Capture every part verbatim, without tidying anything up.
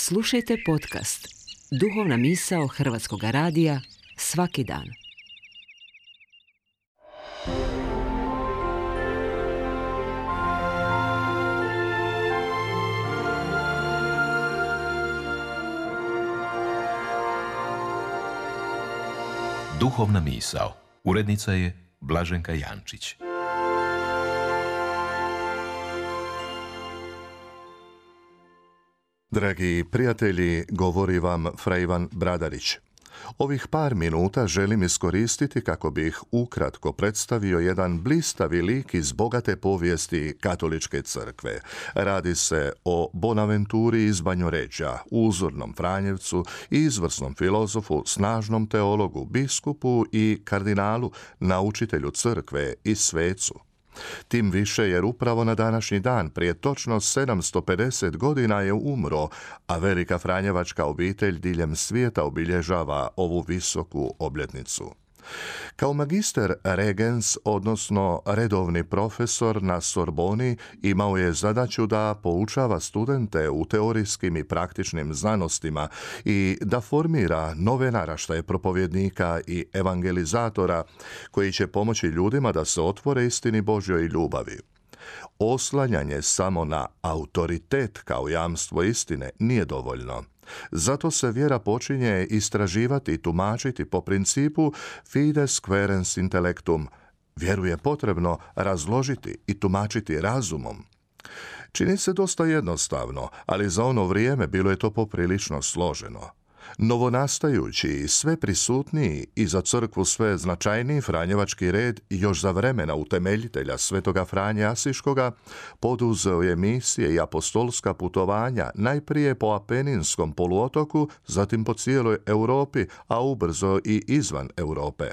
Slušajte podcast Duhovna misao Hrvatskog radija svaki dan. Duhovna misao. Urednica je Blaženka Jančić. Dragi prijatelji, govori vam fra Ivan Bradarić. Ovih par minuta želim iskoristiti kako bih ukratko predstavio jedan blistavi lik iz bogate povijesti katoličke crkve. Radi se o Bonaventuri iz Banjoređa, uzornom Franjevcu, izvrsnom filozofu, snažnom teologu, biskupu i kardinalu, naučitelju crkve i svecu. Tim više jer upravo na današnji dan, prije točno sedamsto pedeset godina je umro, a velika franjevačka obitelj diljem svijeta obilježava ovu visoku obljetnicu. Kao magister regens, odnosno redovni profesor na Sorboni, imao je zadaću da poučava studente u teorijskim i praktičnim znanostima i da formira nove naraštaje propovjednika i evangelizatora koji će pomoći ljudima da se otvore istini Božjoj ljubavi. Oslanjanje samo na autoritet kao jamstvo istine nije dovoljno. Zato se vjera počinje istraživati i tumačiti po principu fides quaerens intellectum. Vjeru je potrebno razložiti i tumačiti razumom. Čini se dosta jednostavno, ali za ono vrijeme bilo je to poprilično složeno. Novonastajući i sve prisutniji i za crkvu sve značajniji franjevački red još za vremena utemeljitelja svetoga Franje Asiškoga poduzeo je misije i apostolska putovanja najprije po Apeninskom poluotoku, zatim po cijeloj Europi, a ubrzo i izvan Europe.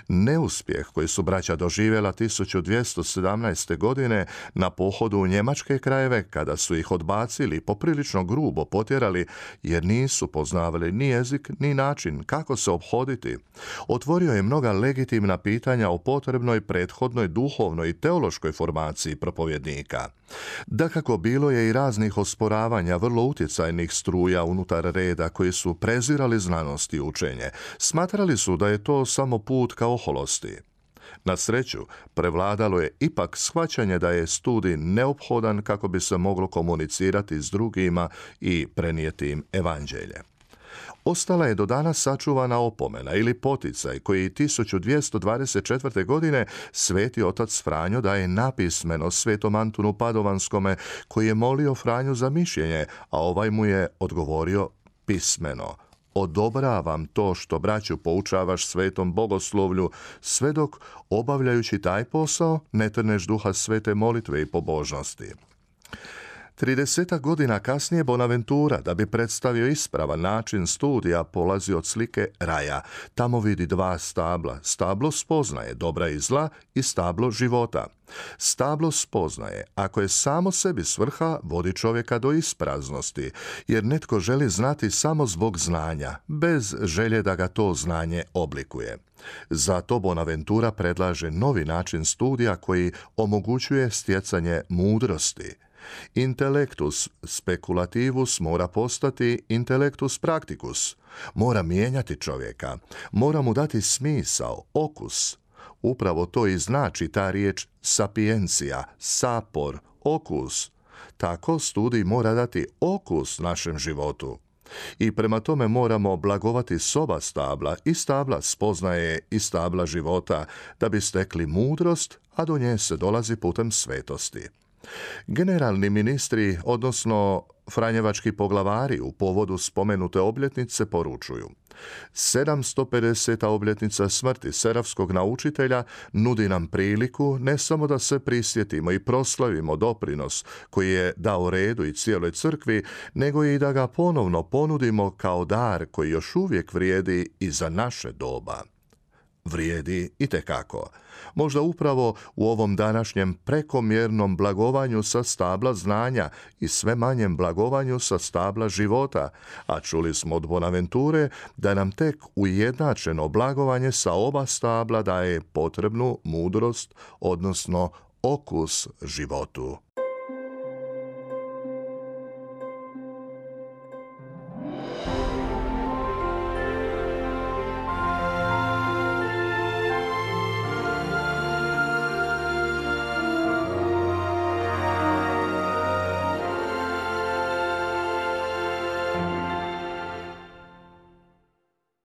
Neuspjeh koji su braća doživjela tisuću dvjesto sedamnaeste. godine na pohodu u njemačke krajeve, kada su ih odbacili i poprilično grubo potjerali jer nisu poznavali ni jezik ni način kako se ophoditi, otvorio je mnoga legitimna pitanja o potrebnoj prethodnoj duhovnoj i teološkoj formaciji propovjednika. Dakako, bilo je i raznih osporavanja vrlo utjecajnih struja unutar reda koji su prezirali znanost i učenje. Smatrali su da je to samo put ka oholosti. Na sreću, prevladalo je ipak shvaćanje da je studij neophodan kako bi se moglo komunicirati s drugima i prenijeti im evanđelje. Ostala je do danas sačuvana opomena ili poticaj koji tisuću dvjesto dvadeset četvrte. godine sveti otac Franjo daje napismeno svetom Antunu Padovanskome, koji je molio Franju za mišljenje, a ovaj mu je odgovorio pismeno: odobravam to što braću poučavaš svetom bogoslovlju, sve dok, obavljajući taj posao, ne trneš duha svete molitve i pobožnosti. Tridesetak godina kasnije Bonaventura, da bi predstavio ispravan način studija, polazi od slike raja. Tamo vidi dva stabla. Stablo spoznaje dobra i zla i stablo života. Stablo spoznaje, ako je samo sebi svrha, vodi čovjeka do ispraznosti, jer netko želi znati samo zbog znanja, bez želje da ga to znanje oblikuje. Zato Bonaventura predlaže novi način studija koji omogućuje stjecanje mudrosti. Intellectus speculativus mora postati intellectus practicus. Mora mijenjati čovjeka, mora mu dati smisao, okus. Upravo to i znači ta riječ sapiencija, sapor, okus. Tako studij mora dati okus našem životu. I prema tome moramo blagovati s oba stabla, i stabla spoznaje i stabla života, da bi stekli mudrost, a do nje se dolazi putem svetosti. Generalni ministri, odnosno franjevački poglavari, u povodu spomenute obljetnice poručuju: sedamsto pedeseta obljetnica smrti serafskog naučitelja nudi nam priliku ne samo da se prisjetimo i proslavimo doprinos koji je dao redu i cijeloj crkvi, nego i da ga ponovno ponudimo kao dar koji još uvijek vrijedi i za naše doba. Vrijedi itekako. Možda upravo u ovom današnjem prekomjernom blagovanju sa stabla znanja i sve manjem blagovanju sa stabla života, a čuli smo od Bonaventure da nam tek ujednačeno blagovanje sa oba stabla daje potrebnu mudrost, odnosno okus životu.